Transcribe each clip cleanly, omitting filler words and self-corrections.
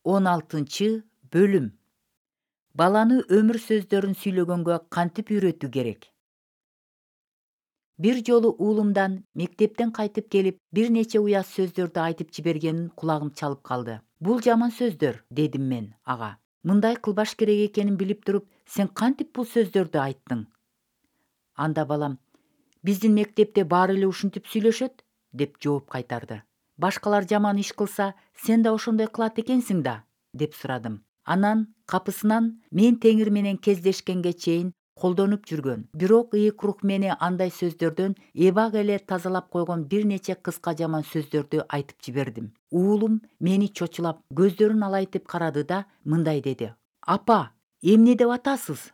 16-бөлүм. Баланы өмүр сөздөрүн сүйлөгөнгө кантип үйрөтүү керек? Бир жолу уулумдан мектептен кайтып келип, бир нече уят сөздөрдү айтып жибергенин кулагым чалып калды. Бул жаман сөздөр, дедим мен ага. Мындай кылбаш керек экенин билип туруп, сен кантип бул сөздөрдү айттың? Анда балам, биздин мектепте баары эле ушинтип сүйлөшөт, деп жооп кайтарды. Башкалар жаман иш кылса, сен да ошондой кылат экенсиң да, деп сурадым. Анан капысынан мен теңир менен кездешкенге чейин колдонуп жүргөн, бирок ыйык рух мени андай сөздөрдөн эбак эле тазалап койгон бир нече кыска жаман сөздөрдү айтып жибердим. Уулум мени чочулап, көздөрүн алайтып карады да мындай деди: "Апа, эмне деп атасыз?"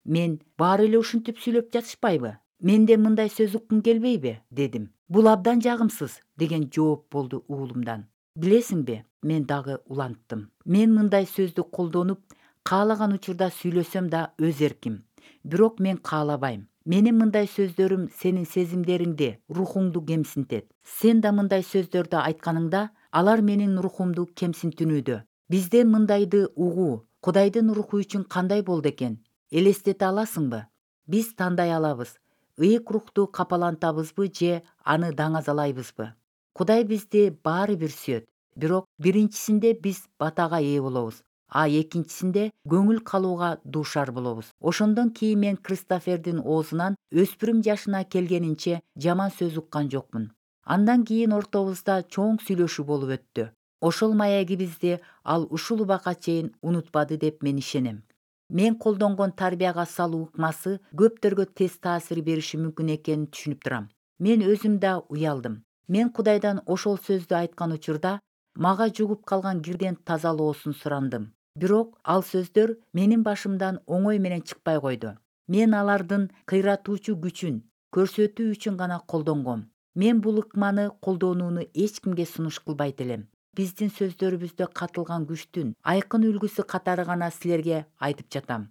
Мен: "Баары эле ушинтип сүйлөп жатышпайбы? Менде мындай сөз уккум келбейби?" дедим. "Бул абдан жагымсыз", деген жооп болду уулумдан. Билесиңби, мен дагы уланттым. Мен мындай сөздү колдонуп, каалаган учурда сүйлөсөм да өз эрким. Бирок мен каалабайм. Менин мындай сөздөрүм сенин сезимдериңди, рухуңду кемсинтет. Сен да мындай сөздөрдү айтканыңда, алар менин рухумду кемсинтүүнүдө. Бизде мындайды угуу Кудайдын руху үчүн кандай болду экен? Элестете аласыңбы? Биз тандай алабыз: ыйык рухту капалантабызбы же аны даңазалайбызбы? Кудай бизди баары бир сүйөт. Бирок биринчисинде биз батага ээ болобуз, а экинчисинде көңүл калууга дуушар болобуз. Ошондон кийин мен Кристофердин оозунан өспүрүм жашына келгенинче жаман сөз уккан жокмун. Андан кийин ортобузда чоң сүйлөшүү болуп өттү. Ошол маегибизди ал ушул убакка чейин унутпады деп мен ишенем. Мен колдонгон тарбияга салуу ыкмасы көптөргө тез таасир бериши мүмкүн экенин түшүнүп турам. Мен өзүм да уялдым. Мен Кудайдан ошол сөздү айткан учурда мага жугуп калган кирден тазалоосун сурандым. Бирок ал сөздөр менин башымдан оңой менен чыкпай койду. Мен алардын кыйратуучу күчүн көрсөтүү үчүн гана колдонгом. Мен бул ыкманы колдонууну эч кимге сунуш кылбайт элем. Биздин сөздөрүбүздө катылган күчтүн айкын үлгүсү катары гана силерге айтып жатам.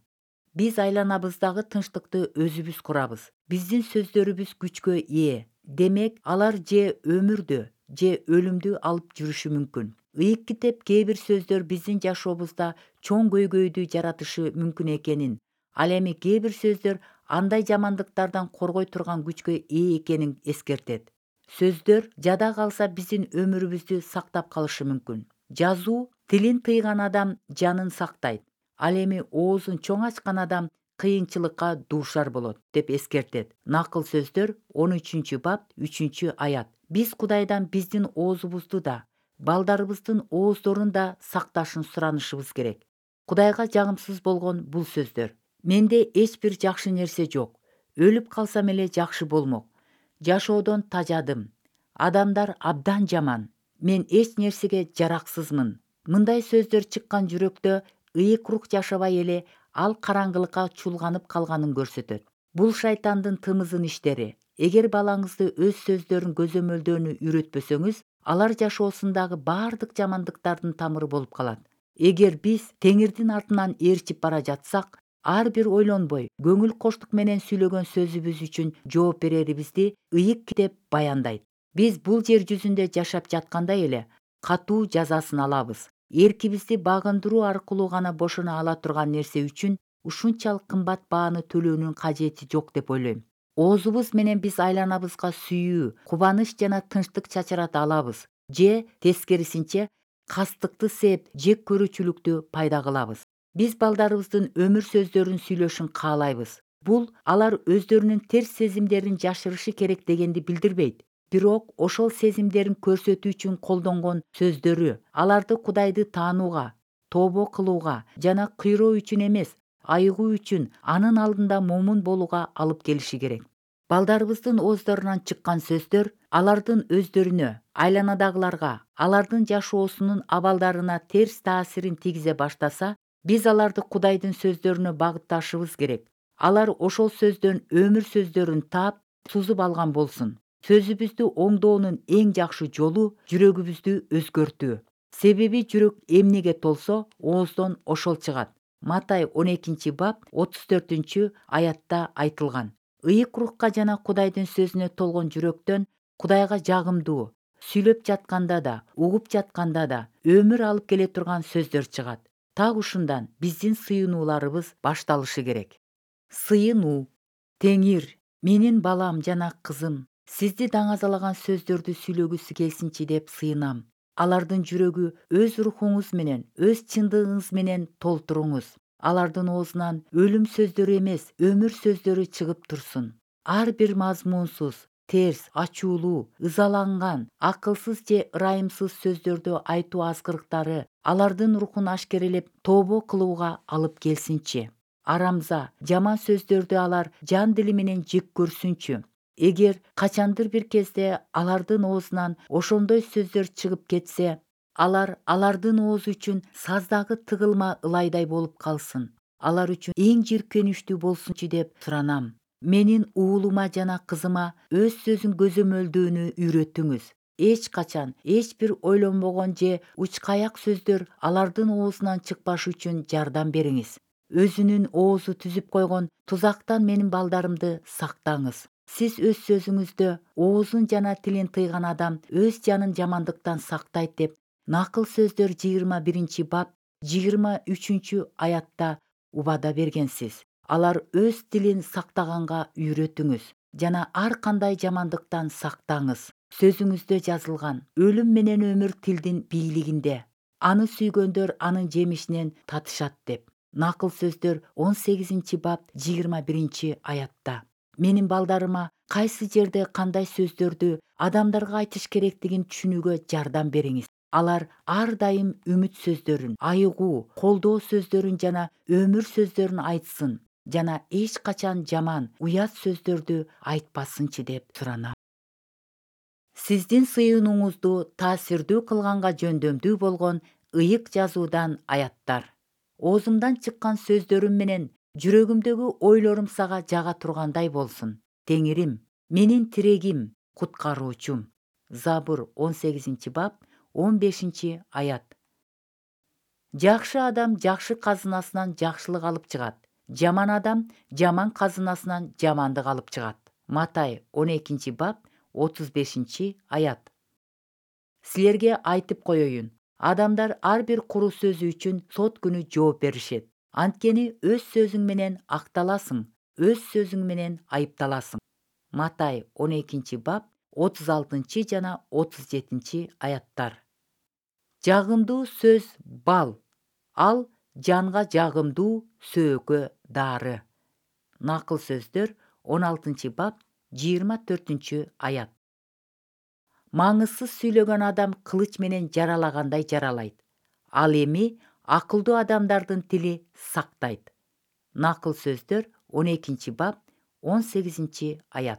Биз айланабыздагы тынчтыкты өзүбүз курабыз. Биздин сөздөрүбүз күчкө ээ. Демек, алар же өмүрдү, же өлүмдү алып жүрүшү мүмкүн. Ыйык китеп кээ бир сөздөр биздин жашообузда чоң көйгөйдү жаратышы мүмкүн экенин, ал эми кээ бир сөздөр андай жамандыктардан коргой турган күчкө ээ экенин эскертет. Сөздөр жада калса биздин өмүрүбүздү сактап калышы мүмкүн. Жазуу: тилин тыйган адам жанын сактайт, ал эми оозун чоң ачкан адам кыйынчылыкка дуушар болот, деп эскертет. Накыл сөздөр 13-бап 3-аят. Биз Кудайдан биздин оозубузду да, балдарыбыздын ооздорун да сакташын суранышыбыз керек. Кудайга жагымсыз болгон бул сөздөр: менде эч бир жакшы нерсе жок. Өлүп калсам эле жакшы болмок. Жашоодон тажадым. Адамдар абдан жаман. Мен эч нерсеге жараксызмын. Мындай сөздөр чыккан жүрөктө ыйык рух жашабай эле ал караңгылыкка чулганып калганын көрсөтөт. Бул шайтандын тымызын иштери. Эгер балаңызды өз сөздөрүн көзөмөлдөөнү үйрөтпөсөңүз, алар жашоосундагы баардык жамандыктардын тамыры болуп калат. Эгер биз теңирдин артынан ээрчип бара жатсак, ар бир ойлонбой, көңүл коштук менен сүйлөгөн сөзүбүз үчүн жооп берерибизди ыйык китеп баяндайт. Биз бул жер жүзүндө жашап жаткандай эле катуу жазасын алабыз. Эркибизди багындыруу аркылуу гана бошоно ала турган нерсе үчүн ушунчалык кымбат бааны төлөөнүн кажети жок деп ойлойм. Оозубуз менен биз айланабызга сүйүү, кубаныч жана тынчтык чачырата алабыз, же тескерисинче кастыкты сээп, жек көрүүчүлүктү пайда кылабыз. Биз балдарыбыздын өмүр сөздөрүн сүйлөшүн каалайбыз. Бул алар өздөрүнүн терс сезимдерин жашырышы керек дегенди билдирбейт. Бирок ошол сезимдерин көрсөтүү үчүн колдонгон сөздөрү аларды Кудайды таанууга, тообо кылууга жана кыйроо үчүн эмес, айыгуу үчүн анын алдында момун болууга алып келиши керек. Балдарыбыздын ооздорунан чыккан сөздөр алардын өздөрүнө, айланадагыларга, алардын жашоосунун абалдарына терс таасирин тийгизе баштаса, биз аларды Кудайдын сөздөрүнө багытташыбыз керек. Алар ошол сөздөн өмүр сөздөрүн таап, сузуп алган болсун. Сөзүбүздү оңдоонун эң жакшы жолу жүрөгүбүздү өзгөртүү. Себеби жүрөк эмнеге толсо, ооздон ошол чыгат. Матай 12-бап 34-аятта айтылган. Ыйык рухка жана Кудайдын сөзүнө толгон жүрөктөн Кудайга жагымдуу, сүйлөп жатканда да, угуп жатканда да өмүр алып келе турган сөздөр чыгат. Так ушундан биздин сыйынууларыбыз башталышы керек. Сыйынуу. Теңир, менин балам жана кызым, сизди даңазалаган сөздөрдү сүйлөгүсү келсинчи деп сыйынам. Алардын жүрөгү өз рухуңуз менен, өз чындыгыңыз менен толтуруңуз. Алардын оозунан өлүм сөздөрү эмес, өмүр сөздөрү чыгып турсун. Ар бир мазмунсуз, терс, ачуулуу, ызаланган, акылсыз же ырайымсыз сөздөрдү айтуу азгырыктары алардын рухун ашкерелеп тобо кылууга алып келсинчи. Арамза, жаман сөздөрдү алар жан дили менен жек көрсүнчү. Эгер качандыр бир кезде алардын оозунан ошондой сөздөр чыгып кетсе, алардын оозу үчүн саздагы тыгылма ылайдай болуп калсын. Алар үчүн эң жийиркеничтүү болсунчу деп суранам. Менин уулума жана кызыма өз сөзүн көзөмөлдөөнү үйрөтүңүз. Эч качан, эч бир ойлонбогон же учкаяк сөздөр алардын оозунан чыкпашы үчүн жардам бериңиз. Өзүнүн оозу түзүп койгон тузактан менин балдарымды сактаңыз. Сиз өз сөзүңүздө оозун жана тилин тыйган адам өз жанын жамандыктан сактайт деп Накыл сөздөр 21 бап 23 аятта убада бергенсиз. Алар өз тилин сактаганга үйрөтүңүз жана ар кандай жамандыктан сактаңыз. Сөзүңүздө жазылган өлүм менен өмүр тилдин бийлигинде. Аны сүйгөндөр анын жемишинен татышат деп. Накыл сөздөр 18 бап 21 аятта. Менин балдарыма кайсы жерде кандай сөздөрдү адамдарга айтыш керектигин түшүнүүгө жардам бериңиз. Алар ар дайым үмүт сөздөрүн, айыгуу, колдоо сөздөрүн жана өмүр сөздөрүн айтсын жана эч качан жаман, уят сөздөрдү айтпасынчы деп суранам. Сиздин сыйынууңузду таасирдүү кылганга жөндөмдүү болгон ыйык жазуудан аяттар. Оозумдан чыккан сөздөрүм менен жүрөгүмдөгү ойлорум сага жага тургандай болсун. Теңирим, менин тирегим, куткаруучум. Забур 18 бап 15 аят. Жакшы адам жакшы казынасынан жакшылык алып чыгат. Жаман адам жаман казынасынан жамандык алып чыгат. Матай 12 бап 35 аят. Силерге айтып коеюн, адамдар ар бир куру сөзү үчүн сот күнү жооп беришет. Анткени өз сөзүң менен акталасың, өз сөзүң менен айыпталасың. Матай 12 бап 36 жана 37 аяттар. Жагымдуу сөз бал, ал жанга жагымдуу, сөөгө дары. Накыл сөздөр 16 бап 24 аят. Маңызсыз сүйлөгөн адам кылыч менен жаралагандай жаралайт. Ал эми акылдуу адамдардын тили сактайт. Накыл сөздөр 12 бап 18 аят.